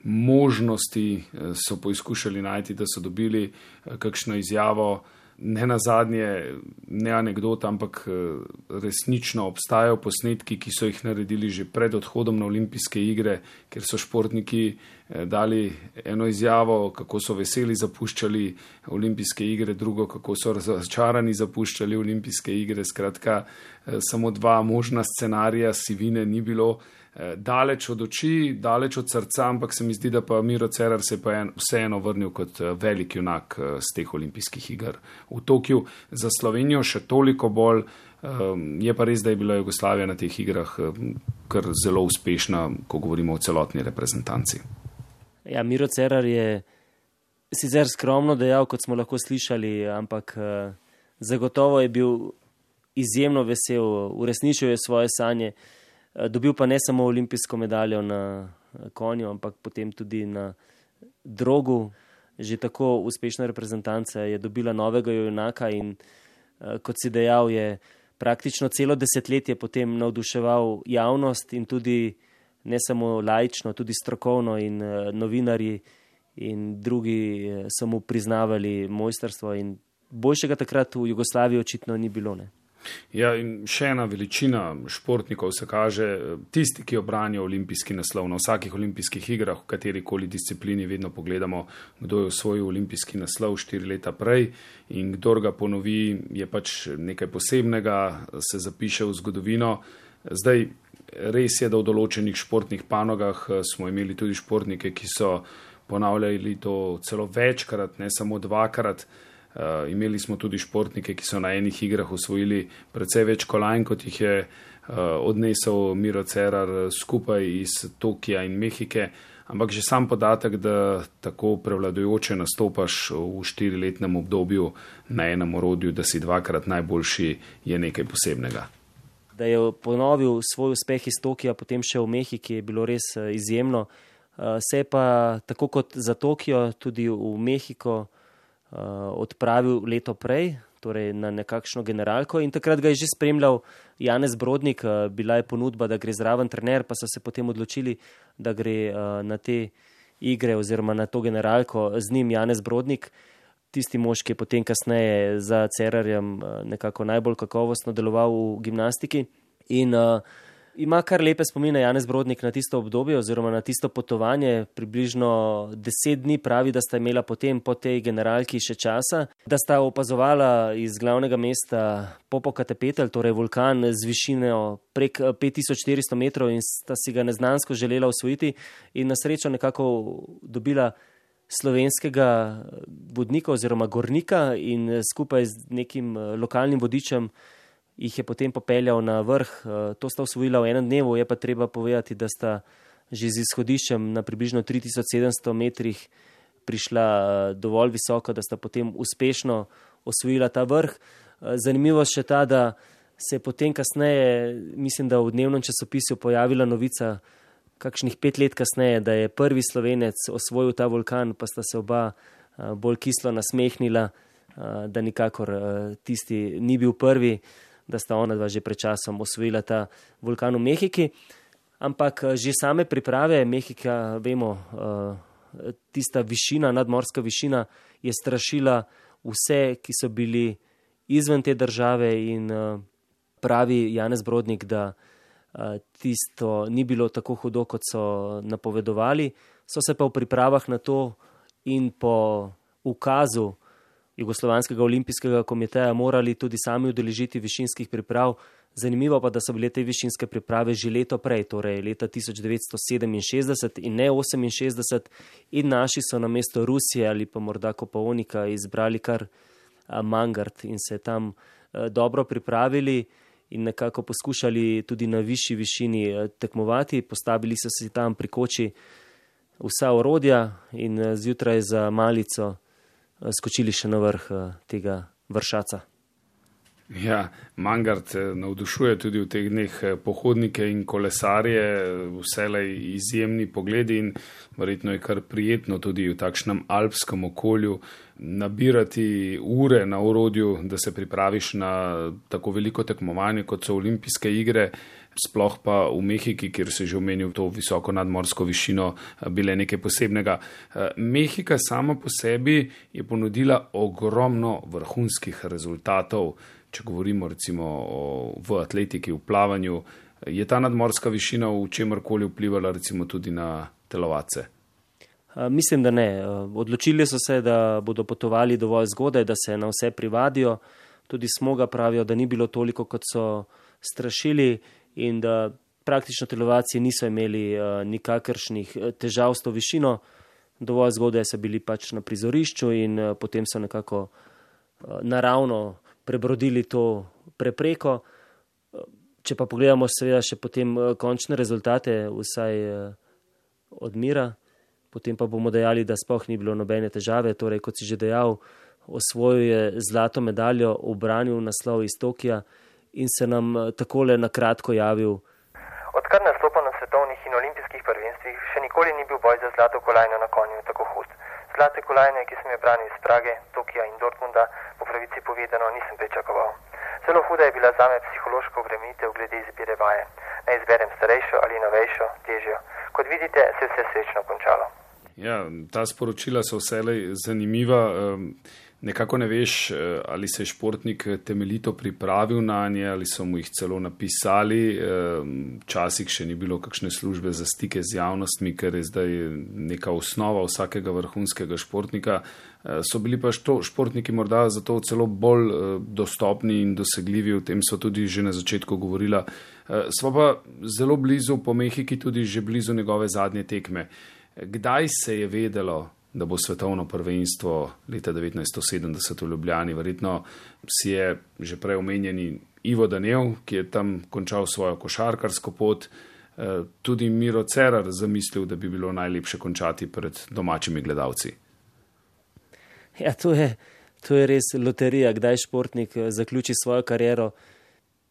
možnosti so poizkušali najti, da so dobili kakšno izjavo. Ne nazadnje, ne anekdota, ampak resnično obstajajo posnetki, ki so jih naredili že pred odhodom na olimpijske igre, ker so športniki dali eno izjavo, kako so veseli zapuščali olimpijske igre, drugo, kako so razočarani zapuščali olimpijske igre. Skratka, samo dva možna scenarija, sivine ni bilo. Daleč od oči, daleč od srca, ampak se mi zdi, da pa Miro Cerar se pa je vseeno vrnil kot velik junak z teh olimpijskih iger v Tokiju. Za Slovenijo še toliko bolj, je pa res, da je bila Jugoslavija na teh igrah kar zelo uspešna, ko govorimo o celotni reprezentanci. Ja, Miro Cerar je sicer skromno dejal, kot smo lahko slišali, ampak zagotovo je bil izjemno vesel, uresničil je svoje sanje. Dobil pa ne samo olimpijsko medaljo na konju, ampak potem tudi na drogu. Že tako uspešna reprezentanca je dobila novega junaka in kot si dejal, je praktično celo desetletje potem navduševal javnost in tudi ne samo laično, tudi strokovno in novinarji in drugi so mu priznavali mojstrstvo in boljšega takrat v Jugoslaviji očitno ni bilo, ne. Ja, in še ena veličina športnikov se kaže, tisti, ki obranijo olimpijski naslov. Na vsakih olimpijskih igrah, v katerikoli disciplini vedno pogledamo, kdo je osvojil olimpijski naslov štiri leta prej in kdor ga ponovi, je pač nekaj posebnega, se zapiše v zgodovino. Zdaj, res je, da v določenih športnih panogah smo imeli tudi športnike, ki so ponavljali to celo večkrat, ne samo dvakrat. Uh, imeli smo tudi športnike, ki so na enih igrah osvojili precej več kolajn, kot jih je odnesel Miro Cerar skupaj iz Tokija in Mehike, ampak že sam podatek, da tako prevladujoče nastopaš v štiriletnem obdobju na enem orodju, da si dvakrat najboljši, je nekaj posebnega. Da je ponovil svoj uspeh iz Tokija, potem še v Mehiki, je bilo res izjemno. Se je pa tako kot za Tokio tudi v Mehiko odpravil leto prej, torej na nekakšno generalko, in takrat ga je že spremljal Janez Brodnik. Bila je ponudba, da gre zraven trener, pa so se potem odločili, da gre na te igre oziroma na to generalko z njim Janez Brodnik, tisti mož, ki je potem kasneje za Cerarjem nekako najbolj kakovostno deloval v gimnastiki. In uh, ima kar lepe spomine Janez Brodnik na tisto obdobje oziroma na tisto potovanje. Približno deset dni pravi, da sta imela potem po tej generalki še časa, da sta opazovala iz glavnega mesta Popocatépetl, torej vulkan z višino prek pet tisoč štiristo metrov, in sta si ga neznansko želela osvojiti in na srečo nekako dobila slovenskega vodnika oziroma gornika in skupaj z nekim lokalnim vodičem jih je potem popeljal na vrh. To sta osvojila v enem dnevu, je pa treba povedati, da sta že z izhodiščem na približno tri tisoč sedemsto metrih prišla dovolj visoko, da sta potem uspešno osvojila ta vrh. Zanimivo še ta, da se je potem kasneje, mislim, da v dnevnem časopisu pojavila novica, kakšnih pet let kasneje, da je prvi Slovenec osvojil ta vulkan, pa sta se oba bolj kislo nasmehnila, da nikakor tisti ni bil prvi, da sta ona dva že pred časom osvojila ta vulkan v Mehiki. Ampak že same priprave Mehika, vemo, tista višina, nadmorska višina je strašila vse, ki so bili izven te države, in pravi Janez Brodnik, da tisto ni bilo tako hudo, kot so napovedovali. So se pa v pripravah na to in po ukazu Jugoslovanskega olimpijskega komiteja morali tudi sami udeležiti višinskih priprav. Zanimivo pa, da so bile te višinske priprave že leto prej, torej leta tisoč devetsto sedeminšestdeset in ne oseminšestdeset, in naši so na mesto Rusije ali pa morda Kopaonika izbrali kar Mangart in se tam dobro pripravili in nekako poskušali tudi na višji višini tekmovati. Postavili so si tam pri koči vsa orodja in zjutraj za malico skočili še na vrh tega vršaca. Ja, Mangart navdušuje tudi v teh dneh pohodnike in kolesarje, vselej izjemni pogledi, in verjetno je kar prijetno tudi v takšnem alpskem okolju nabirati ure na orodju, da se pripraviš na tako veliko tekmovanje, kot so olimpijske igre, sploh pa v Mehiki, kjer se že omenil to visoko nadmorsko višino, bile nekaj posebnega. Mehika sama po sebi je ponudila ogromno vrhunskih rezultatov. Če govorimo recimo o, v atletiki, v plavanju, je ta nadmorska višina v čemarkoli vplivala recimo tudi na telovadce? Mislim, da ne. Odločili so se, da bodo potovali dovolj zgodaj, da se na vse privadijo. Tudi Smoga pravijo, da ni bilo toliko, kot so strašili, in da praktično telovadci niso imeli nikakršnih težav s to višino. Dovolj zgodaj so bili pač na prizorišču in potem so nekako naravno prebrodili to prepreko. Če pa pogledamo seveda še potem končne rezultate, vsaj od Mira, potem pa bomo dejali, da sploh ni bilo nobene težave. Torej, kot si že dejal, osvojil je zlato medaljo, ubranil naslov iz Tokija in se nam takole na kratko javil. Odkar nastopa na svetovnih in olimpijskih prvenstvih, še nikoli ni bil boj za zlato kolajno na konju tako hud. Zlate kolajne, ki sem jo branil iz Prage, Tokija in Dortmunda, po pravici povedano nisem pričakoval. Zelo huda je bila zame psihološka obremenitev glede izbire vaje. Naj izberem starejšo ali novejšo, težjo. Kot vidite, se je vse srečno končalo. Ja, ta sporočila so vselej zanimiva. Nekako ne veš, ali se je športnik temeljito pripravil na nje, ali so mu jih celo napisali. Včasih še ni bilo kakšne službe za stike z javnostmi, ker je zdaj neka osnova vsakega vrhunskega športnika. So bili pa što, športniki morda zato celo bolj dostopni in dosegljivi, o tem so tudi že na začetku govorila. Sva pa zelo blizu po Mehiki, tudi že blizu njegove zadnje tekme. Kdaj se je vedelo, da bo svetovno prvenstvo leta devetnajststo sedemdeset v Ljubljani? Verjetno si je že prej omenjeni Ivo Danev, ki je tam končal svojo košarkarsko pot, tudi Miro Cerar zamislil, da bi bilo najlepše končati pred domačimi gledalci. Ja, to je, to je res loterija, kdaj športnik zaključi svojo kariero.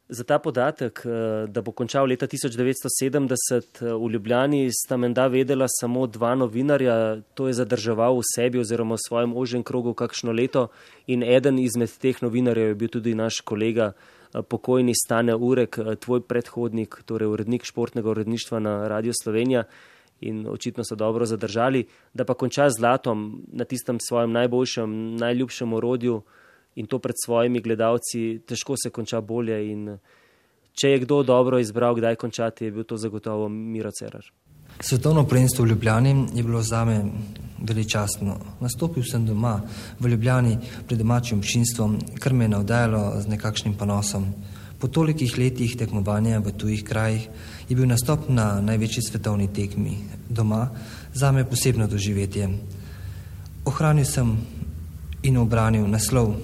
Za ta podatek, da bo končal leta tisoč devetsto sedemdeset v Ljubljani, sta menda vedela samo dva novinarja, to je zadrževal v sebi oziroma v svojem ožjem krogu kakšno leto in eden izmed teh novinarjev je bil tudi naš kolega, pokojni Stane Urek, tvoj predhodnik, torej urednik športnega uredništva na Radiu Slovenija, in očitno so dobro zadržali, da pa konča z zlatom na tistem svojem najboljšem, najljubšem orodju in to pred svojimi gledalci, težko se konča bolje in če je kdo dobro izbral, kdaj končati, je bil to zagotovo Miro Cerar. Svetovno prvenstvo v Ljubljani je bilo zame veličastno. Nastopil sem doma v Ljubljani pred domačim občinstvom, kar me je navdajalo z nekakšnim ponosom. Po tolikih letih tekmovanja v tujih krajih je bil nastop na največji svetovni tekmi doma zame posebno doživetje. Ohranil sem in obranil naslov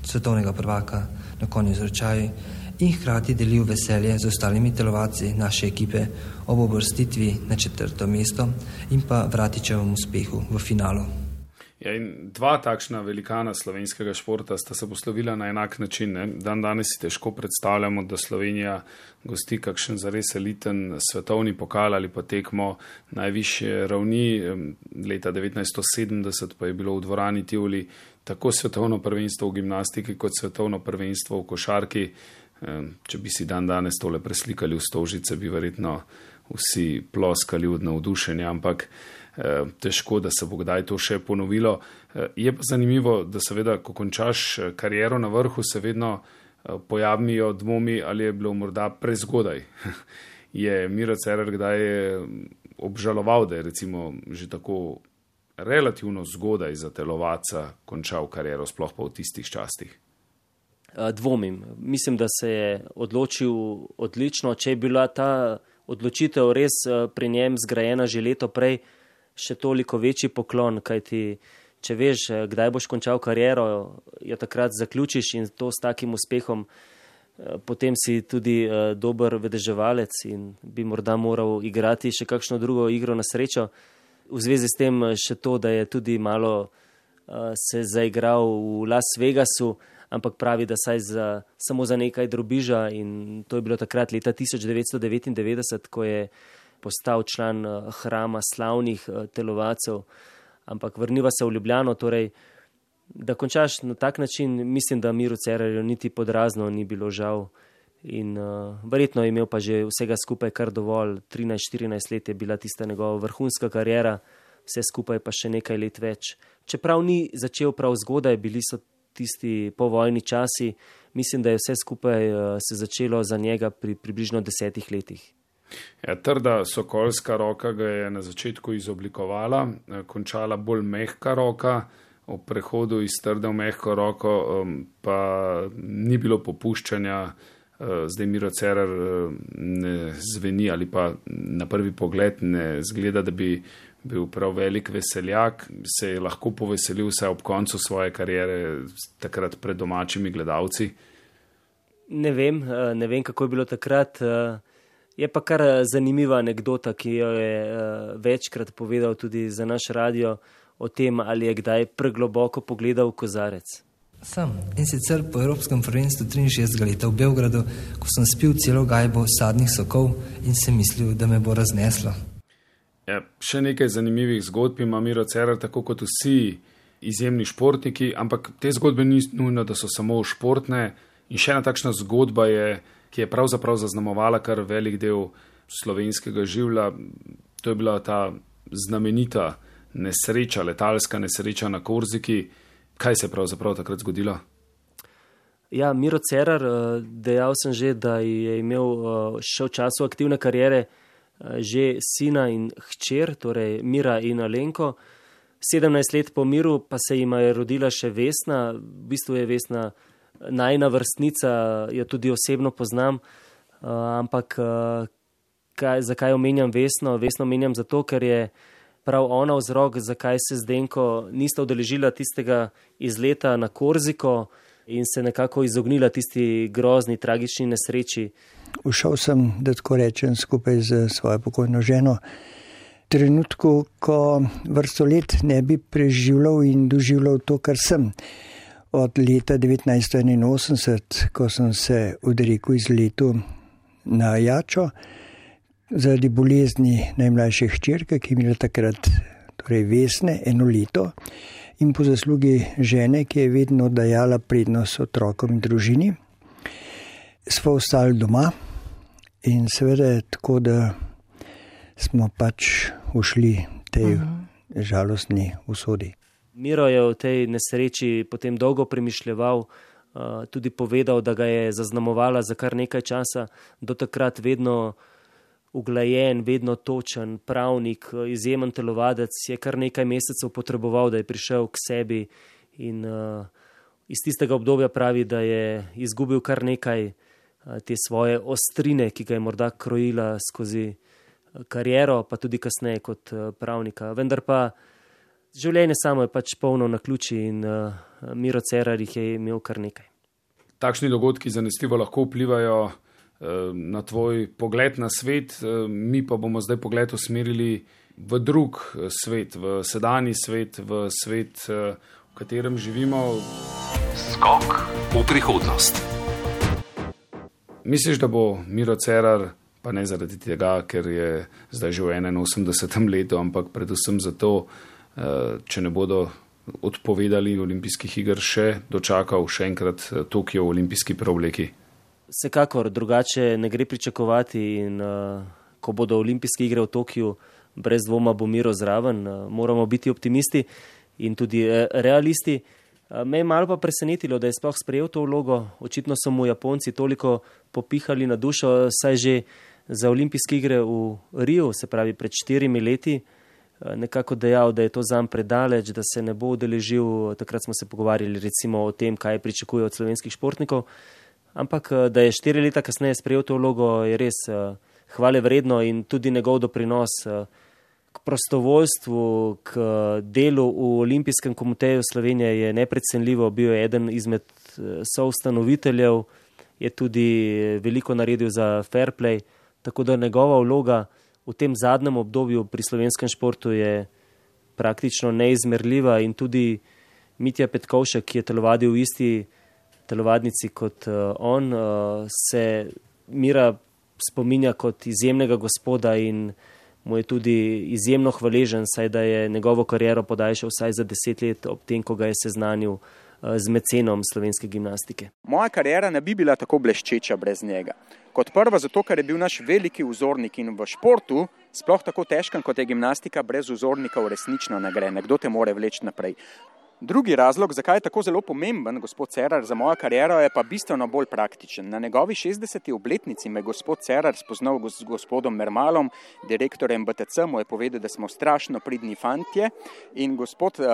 svetovnega prvaka na konju z ročaji in hkrati delil veselje z ostalimi telovadci naše ekipe ob uvrstitvi na četrto mesto in pa Vratičevem uspehu v finalu. Ja, in dva takšna velikana slovenskega športa sta se poslovila na enak način. Ne? Dan danes si težko predstavljamo, da Slovenija gosti kakšen zares eliten svetovni pokal ali pa tekmo najvišje ravni. Leta devetnajststo sedemdeset pa je bilo v dvorani Tivoli tako svetovno prvenstvo v gimnastiki kot svetovno prvenstvo v košarki. Če bi si dan danes tole preslikali v Stožice, bi verjetno vsi ploskali od navdušenja, ampak težko, da se bo kdaj to še ponovilo. Je pa zanimivo, da seveda, ko končaš kariero na vrhu, se vedno pojavijo dvomi, ali je bilo morda prezgodaj. Je Miro Cerar kdaj obžaloval, da je recimo že tako relativno zgodaj za telovadca končal kariero, sploh pa v tistih častih? Dvomim. Mislim, da se je odločil odlično. Če je bila ta odločitev res pri njem zgrajena že leto prej, še toliko večji poklon, kajti če veš, kdaj boš končal kariero, jo takrat zaključiš in to s takim uspehom, potem si tudi dober vedeževalec in bi morda moral igrati še kakšno drugo igro na srečo. V zvezi s tem še to, da je tudi malo se zaigral v Las Vegasu, ampak pravi, da saj za, samo za nekaj drobiža in to je bilo takrat leta tisoč devetsto devetindevetdeset, ko je postal član hrama slavnih telovadcev, ampak vrniva se v Ljubljano, torej, da končaš na tak način, mislim, da Miru Cerarju niti podrazno ni bilo žal in uh, verjetno je imel pa že vsega skupaj kar dovolj, trinajst štirinajst let je bila tista njegova vrhunska kariera, vse skupaj pa še nekaj let več. Čeprav ni začel prav zgodaj, bili so tisti povojni časi, mislim, da je vse skupaj uh, se začelo za njega pri približno desetih letih. Ja, trda sokolska roka ga je na začetku izoblikovala, končala bolj mehka roka, ob prehodu iz trde v mehko roko pa ni bilo popuščanja. Zdaj Miro Cerar ne zveni ali pa na prvi pogled ne zgleda, da bi bil prav velik veseljak, se je lahko poveselil vsaj ob koncu svoje kariere takrat pred domačimi gledalci. Ne vem, ne vem, kako je bilo takrat. Je pa kar zanimiva anekdota, ki jo je večkrat povedal tudi za naš radio o tem, ali je kdaj pregloboko pogledal v kozarec. Sam in sicer po Evropskem prvenstvu triinšestdesetega leta v Beogradu, ko sem spil celo gajbo sadnih sokov in sem mislil, da me bo razneslo. Ja, še nekaj zanimivih zgodb ima Miro Cerar, tako kot vsi izjemni športniki, ampak te zgodbe ni nujno, da so samo športne. In še ena takšna zgodba je, ki je pravzaprav zaznamovala kar velik del slovenskega življa. To je bila ta znamenita nesreča, letalska nesreča na Korziki. Kaj se je pravzaprav takrat zgodilo? Ja, Miro Cerar, dejal sem že, da je imel še v času aktivne kariere že sina in hčer, torej Mira in Alenko. sedemnajst let po Miru pa se jima je rodila še Vesna, v bistvu je Vesna najina vrstnica, jo tudi osebno poznam, ampak kaj, zakaj omenjam Vesno? Vesno omenjam zato, ker je prav ona vzrok, zakaj se Zdenko nista udeležila tistega izleta na Korziko. in se nekako izognila tisti grozni, tragični nesreči. Ušel sem, da tako rečem, skupaj z svojo pokojno ženo. V trenutku, ko vrsto let ne bi preživljal in doživljal to, kar sem. Od leta devetnajststo enainosemdeset, ko sem se odrekel iz letu na Jačo, zaradi bolezni najmlajše hčerke, ki je imela takrat torej Vesne, eno leto, in po zaslugi žene, ki je vedno dajala prednost otrokom in družini, smo ostali doma in seveda tako, da smo pač ušli tej uh-huh. žalostni usodi. Miro je v tej nesreči potem dolgo premišljeval, tudi povedal, da ga je zaznamovala za kar nekaj časa, do takrat vedno uglajen, vedno točen, pravnik, izjemen telovadec, je kar nekaj mesecev potreboval, da je prišel k sebi in uh, iz tistega obdobja pravi, da je izgubil kar nekaj uh, te svoje ostrine, ki ga je morda krojila skozi kariero, pa tudi kasneje kot uh, pravnika. Vendar pa življenje samo je pač polno naključij in uh, Miro Cerar jih je imel kar nekaj. Takšni dogodki zanesljivo lahko vplivajo na tvoj pogled na svet, mi pa bomo zdaj pogled usmerili v drug svet, v sedanji svet, v svet, v katerem živimo. Skok v prihodnost. Misliš, da bo Miro Cerar, pa ne zaradi tega, ker je zdaj že v enainosemdesetem letu, ampak predvsem zato, če ne bodo odpovedali olimpijskih iger, še dočakal še enkrat Tokio v olimpijski preobleki? Vsekakor, drugače ne gre pričakovati in uh, ko bodo olimpijske igre v Tokiu, brez dvoma bo Miro zraven. Uh, moramo biti optimisti in tudi uh, realisti. Uh, me je malo pa presenetilo, da je sploh sprejel to vlogo. Očitno so mu Japonci toliko popihali na dušo, saj že za olimpijske igre v Riu, se pravi pred štirimi leti, uh, nekako dejal, da je to zanj predaleč, da se ne bo udeležil. Takrat smo se pogovarjali recimo o tem, kaj pričakuje od slovenskih športnikov. Ampak, da je štiri leta kasneje sprejel to vlogo, je res uh, hvale vredno in tudi njegov doprinos uh, k prostovoljstvu, k uh, delu v Olimpijskem komiteju Slovenije je neprecenljivo. Bil je eden izmed uh, soustanoviteljev, je tudi veliko naredil za fair play, tako da njegova vloga v tem zadnjem obdobju pri slovenskem športu je praktično neizmerljiva in tudi Mitja Petkovšek, ki je telovadil v isti telovadnici kot uh, on, uh, se Mira spominja kot izjemnega gospoda in mu je tudi izjemno hvaležen, saj da je njegovo kariero podaljšal vsaj za deset let ob tem, ko ga je seznanil uh, z mecenom slovenske gimnastike. Moja kariera ne bi bila tako bleščeča brez njega. Kot prvo zato, ker je bil naš veliki vzornik in v športu, sploh tako težkem kot je gimnastika, brez vzornikov resnično ne gre. Nekdo te more vleči naprej. Drugi razlog, zakaj je tako zelo pomemben gospod Cerar za mojo kariero, je pa bistveno bolj praktičen. Na njegovi šestdeseti obletnici me gospod Cerar spoznal z gospodom Mermalom, direktorjem B T C, mu je povedal, da smo strašno pridni fantje in gospod uh,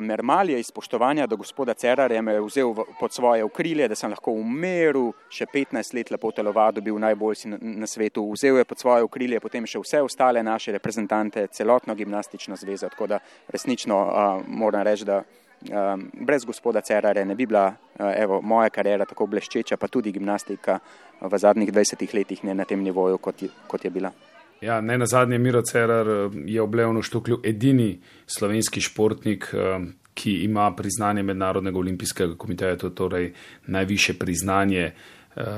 Mermal je iz spoštovanja do gospoda Cerarja me vzel v, pod svoje okrilje, da sem lahko v miru še petnajst let lepo telovadil, bil najboljši na, na svetu. Vzel je pod svoje okrilje potem še vse ostale naše reprezentante, celotno gimnastično zvezo, tako da resnično uh, moram reči, da Um, brez gospoda Cerarja ne bi bila uh, evo, moja kariera tako bleščeča, pa tudi gimnastika v zadnjih dvajsetih letih ne na tem nivoju, kot je, kot je bila. Ja, ne nazadnje Miro Cerar je v Leonu Štuklju edini slovenski športnik, ki ima priznanje Mednarodnega olimpijskega komiteja, to je torej najvišje priznanje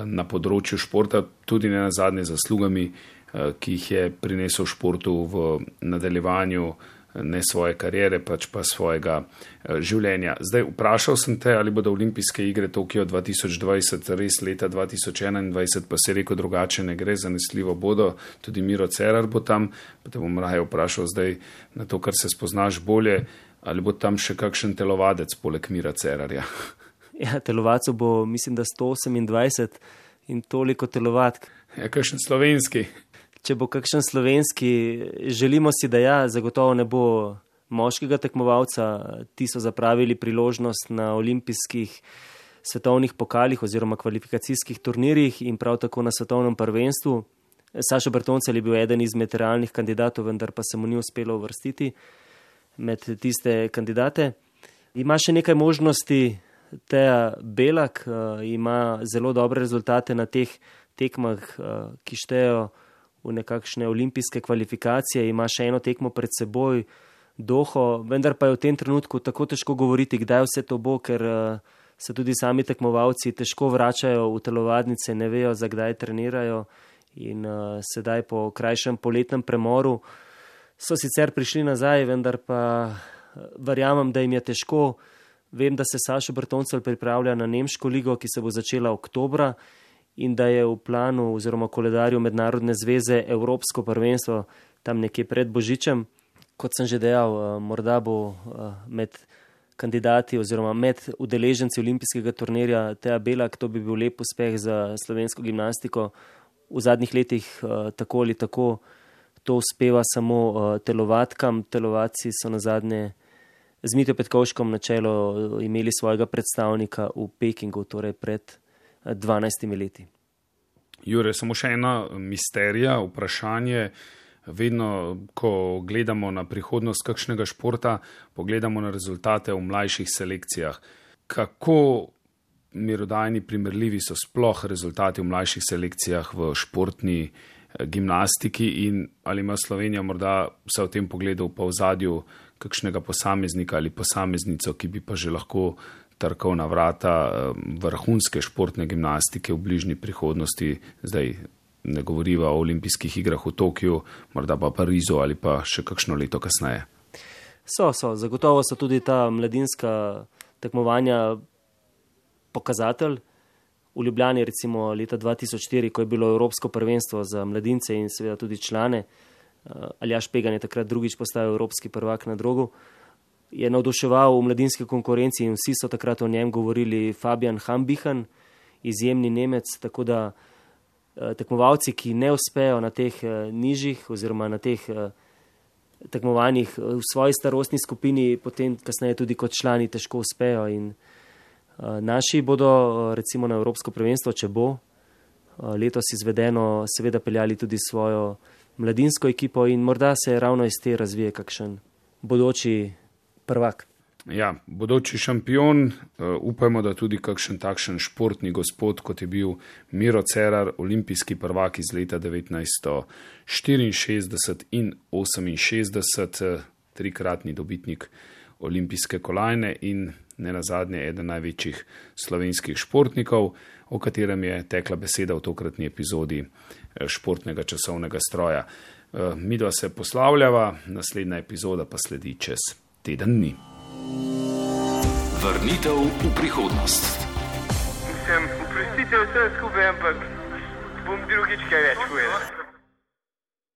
na področju športa, tudi ne nazadnje zaslugami, ki jih je prinesel športu v nadaljevanju ne svoje karijere, pač pa svojega življenja. Zdaj, vprašal sem te, ali bodo olimpijske igre Tokio dva tisoč dvajset res leta dva tisoč enaindvajset, pa si rekel drugače ne gre, zanesljivo bodo, tudi Miro Cerar bo tam, pa te bom raje vprašal zdaj na to, kar se spoznaš bolje, ali bo tam še kakšen telovadec poleg Mira Cerarja? Ja, telovacov bo, mislim, da sto osemindvajset in toliko telovadk. Ja, kakšen slovenski? Če bo kakšen slovenski, želimo si, da ja, zagotovo ne bo moškega tekmovalca. Ti so zapravili priložnost na olimpijskih svetovnih pokalih oziroma kvalifikacijskih turnirjih in prav tako na svetovnem prvenstvu. Sašo Bertoncelj je bil eden izmed realnih kandidatov, vendar pa se mu ni uspelo uvrstiti med tiste kandidate. Ima še nekaj možnosti Teja Belak uh, ima zelo dobre rezultate na teh tekmah, uh, ki štejo v nekakšne olimpijske kvalifikacije, ima še eno tekmo pred seboj, Doho, vendar pa je v tem trenutku tako težko govoriti, kdaj vse to bo, ker uh, se tudi sami tekmovalci težko vračajo v telovadnice, ne vejo, za kdaj trenirajo in uh, sedaj po krajšem poletnem premoru so sicer prišli nazaj, vendar pa verjamem, da jim je težko. Vem, da se Sašo Bertoncelj pripravlja na nemško ligo, ki se bo začela oktobra in da je v planu oziroma koledarju Mednarodne zveze Evropsko prvenstvo tam nekje pred Božičem. Kot sem že dejal, morda bo med kandidati oziroma med udeleženci olimpijskega turnirja Teja Belak, to bi bil lep uspeh za slovensko gimnastiko. V zadnjih letih tako ali tako to uspeva samo telovadkam. Telovadci so nazadnje z Mitjo Petkovškom na čelo imeli svojega predstavnika v Pekingu, torej pred dvanajstimi leti. Jure, samo še ena misterija, vprašanje. Vedno, ko gledamo na prihodnost kakšnega športa, pogledamo na rezultate v mlajših selekcijah. Kako merodajni primerljivi so sploh rezultati v mlajših selekcijah v športni gimnastiki in ali ima Slovenija morda vse v tem pogledu pa v zadju kakšnega posameznika ali posameznico, ki bi pa že lahko trkal na vrata vrhunske športne gimnastike v bližnji prihodnosti, zdaj ne govoriva o olimpijskih igrah v Tokiu, morda pa Parizu ali pa še kakšno leto kasneje. So, so, zagotovo so tudi ta mladinska tekmovanja pokazatelj. V Ljubljani recimo leta dva tisoč štiri, ko je bilo Evropsko prvenstvo za mladince in seveda tudi člane, Aljaž Pegan je takrat drugič postal evropski prvak na drogu, je navduševal v mladinski konkurenci in vsi so takrat o njem govorili. Fabian Hambichen, izjemni Nemec, tako da tekmovalci, ki ne uspejo na teh nižjih oziroma na teh tekmovanjih v svoji starostni skupini, potem kasneje tudi kot člani težko uspejo in naši bodo recimo na Evropsko prvenstvo, če bo letos izvedeno, seveda peljali tudi svojo mladinsko ekipo in morda se ravno iz te razvije kakšen bodoči prvak. Ja, bodoči šampion, upajmo, da tudi kakšen takšen športni gospod, kot je bil Miro Cerar, olimpijski prvak iz leta devetnajststo štiriinšestdeset in oseminšestdeset, trikratni dobitnik olimpijske kolajne in nenazadnje eden največjih slovenskih športnikov, o katerem je tekla beseda v tokratni epizodi športnega časovnega stroja. Midva se poslavljava, naslednja epizoda pa sledi čez teden dni. Vrnitev v prihodnost. Mislim, oprostite vse skupaj, ampak bom drugič kaj več povedal.